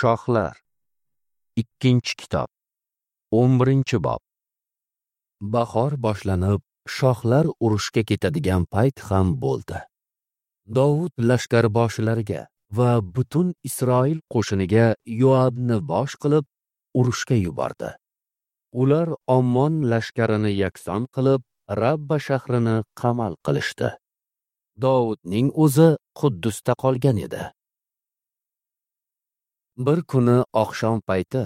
Shohlar. 2-kitob. 11-bob. Bahor boshlanib, shohlar urushga ketadigan payt ham bo'ldi. Dovud lashkarboshilariga va butun Isroil qo'shiniga Yoabni bosh qilib urushga yubordi. Ular Ommon lashkarini yakson qilib, Rabba shahrini qamal qilishdi. Dovudning o'zi Quddusda qolgan edi. Bir kuni oqshom payti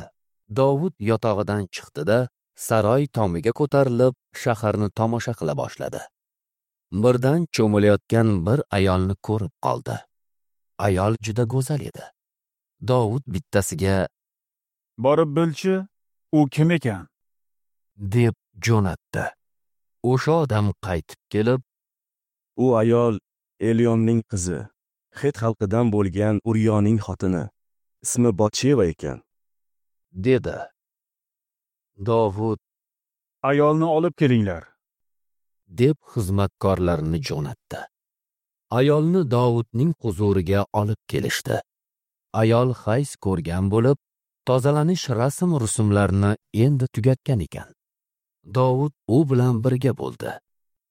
Dovud yotog'idan chiqdi-da, saroy tomiga ko'tarilib, shaharni tomosha qila boshladi. Birdan cho'milayotgan bir ayolni ko'rib qoldi. Ayol juda go'zal edi. Dovud bittasiga: "Borib bilchi, u kim ekan?" deb jo'natdi. O'sha odam qaytib kelib, "U ayol Elyonning qizi, Xet xalqidan bo'lgan Uriyoning xotini, ismi Botsheva ekan," dedi. Dovud: "Ayolni olib kelinglar," deb xizmatkorlarini jo'natdi. Ayolni Dovudning huzuriga olib kelishdi. Ayol hayz ko'rgan bo'lib, tozalanish rasm-rusumlarini endi tugatgan ekan. Dovud u bilan birga bo'ldi.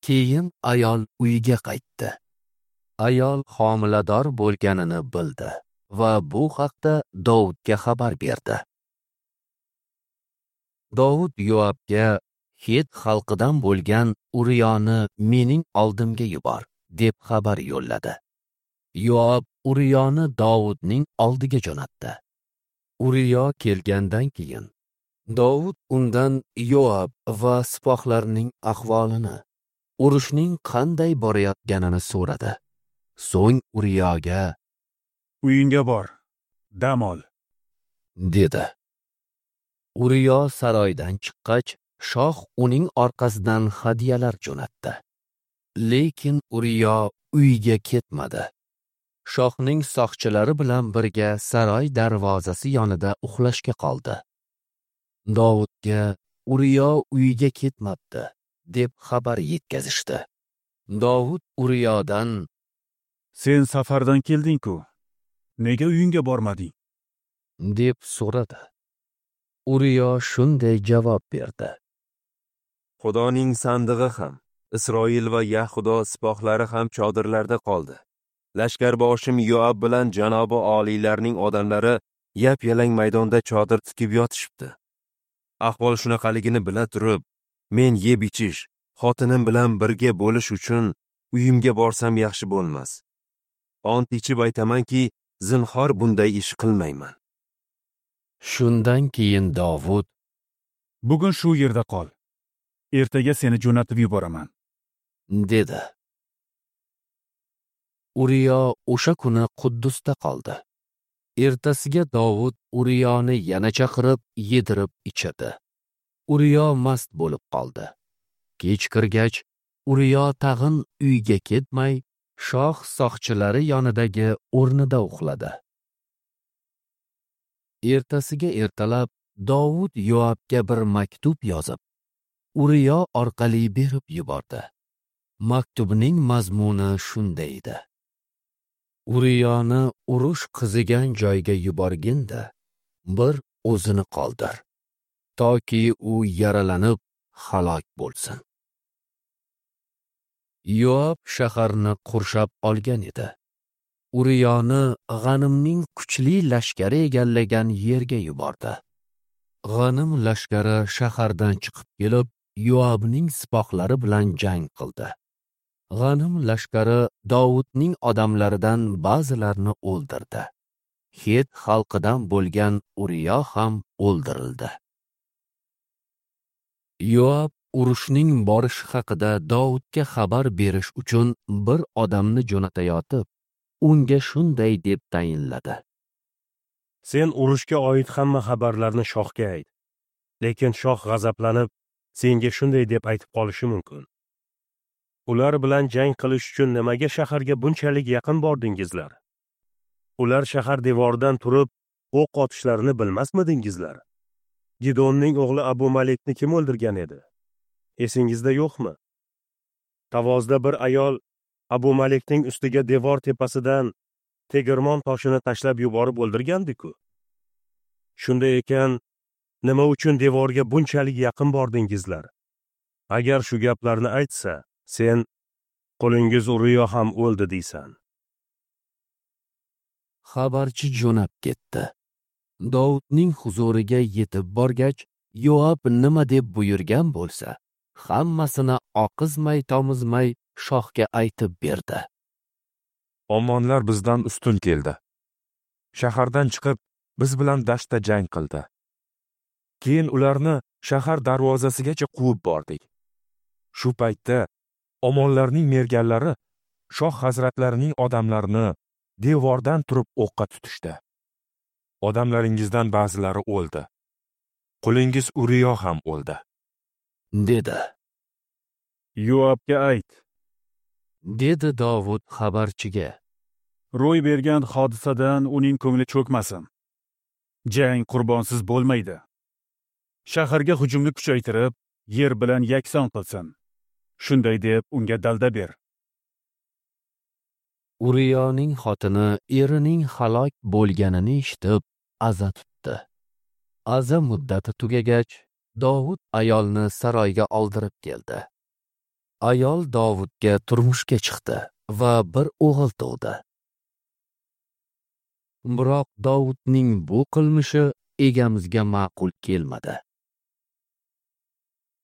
Keyin ayol uyiga qaytdi. Ayol homilador bo'lganini bildi va bu haqda Dovudga xabar berdi. Dovud Yoabga: "Xet xalqidan bo'lgan Uriyoni mening oldimga yubor," deb xabar yo'lladi. Yoab Uriyoni Dovudning oldiga jo'natdi. Uriyo kelgandan keyin Dovud undan Yoab va sipohlarning ahvolini, urushning qanday borayotganini so'radi. So'ng Uriyoga: "Uyingga bor, dam ol," dedi. Uriyo saroydan chiqqach, shoh uning orqasidan hadyalar jo'natdi. Lekin Uriyo uyga ketmadi. Shohning soqchilari bilan birga saroy darvozasi yonida uxlashga qoldi. Dovudga Uriyo uyga ketmabdi, deb xabar yetkazishdi. Dovud Uriyodan: "Sen safardan kelding-ku, nega uyingga bormading?" deb so'radi. Uriyo shunday javob berdi: "Xudoning sandig'i ham, Isroil va Yahudo sipohlari ham chodirlarda qoldi. Lashkarboshim Yoab bilan janobi oliylarning odamlari yap-yalang maydonda chodir tikib yotishibdi. Ahvol shunaqaligini bila turib, men yeb ichish, xotinim bilan birga bo'lish uchun uyimga borsam yaxshi bo'lmas. Ont ichib aytamanki, zinhor bunday ish qilmayman." Shundan keyin Dovud: "Bugun shu yerda qol. Ertaga seni jo'natib yuboraman," dedi. Uriyo o'sha kuni Quddusda qoldi. Ertasiga Dovud Uriyoni yana chaqirib, yedirib ichirdi. Uriyo mast bo'lib qoldi. Kech kirgach, Uriyo tag'in uyga ketmay, shoh soqchilari yonidagi o'rnida uxladi. Ertasiga ertalab Dovud Yoabga bir maktub yozib, Uriyo orqali berib yubordi. Maktubning mazmuni shunday edi: Uriyoni urush qizigan joyga yuborgin-da, bir o'zini qoldir, toki u yaralanib halok bo'lsin. Yoab shaharni qurshab olgan edi. Uriyoni G'animning kuchli lashkari egallagan yerga yubordi. G'anim lashkari shahardan chiqib kelib, Yoabning sipohlari bilan jang qildi. G'anim lashkari Dovudning odamlaridan ba'zilarini o'ldirdi. Xet xalqidan bo'lgan Uriyo ham o'ldirildi. Yoab urushning borishi haqida Dovudga xabar berish uchun bir odamni jo'natayotib, unga shunday deb tayinladi: "Sen urushga oid hamma xabarlarni shohga ayt. Lekin shoh g'azablanib, senga shunday deb aytib qolishi mumkin: Ular bilan jang qilish uchun nimaga shaharga bunchalik yaqin bordingizlar? Ular shahar devoridan turib o'q otishlarini bilmasmidingizlar? Gidonning o'g'li Abu Malikni kim o'ldirgan edi? Esingizda yo'qmi? Tavozda bir ayol Abu Malikning ustiga devor tepasidan tegirmon toshini tashlab yuborib o'ldirgandi-ku. Shunday ekan, nima uchun devorga bunchalik yaqin bordingizlar? Agar shu gaplarni aytsa, sen qulingiz Uriyo ham o'ldi deysan. Xabarchi jo'nab ketdi. Dovudning huzuriga yetib borgach, Yoab nima deb buyurgan bo'lsa, hammasini oqizmay-tomizmay shohga aytib berdi. Ommonlar bizdan ustun keldi. Shahardan chiqib, biz bilan dashtda jang qildi. Keyin ularni shahar darvozasigacha quvib bordik. Shu paytda Ommonlarning merganlari shoh hazratlarining odamlarini devordan turib o'qqa tutishdi. Odamlaringizdan ba'zilari o'ldi. Qulingiz Uriyo ham o'ldi, dedi. Yoabga ayt, dedi Dovud xabarchiga. Ro'y bergan hodisadan uning ko'ngli cho'kmasin. Jang qurbonsiz bo'lmaydi. Shaharga hujumni kuchaytirib, yer bilan yakson qilsin. Shunday deb unga dalda ber. Uriyoning xotini erining halok bo'lganini eshitib, aza tutdi. Aza muddati tugagach, Dovud ayolni saroyga oldirib keldi. Ayol Dovudga turmushga chiqdi va bir o'g'il tug'di. Biroq Dovudning bu qilmishi egamizga ma'qul kelmadi.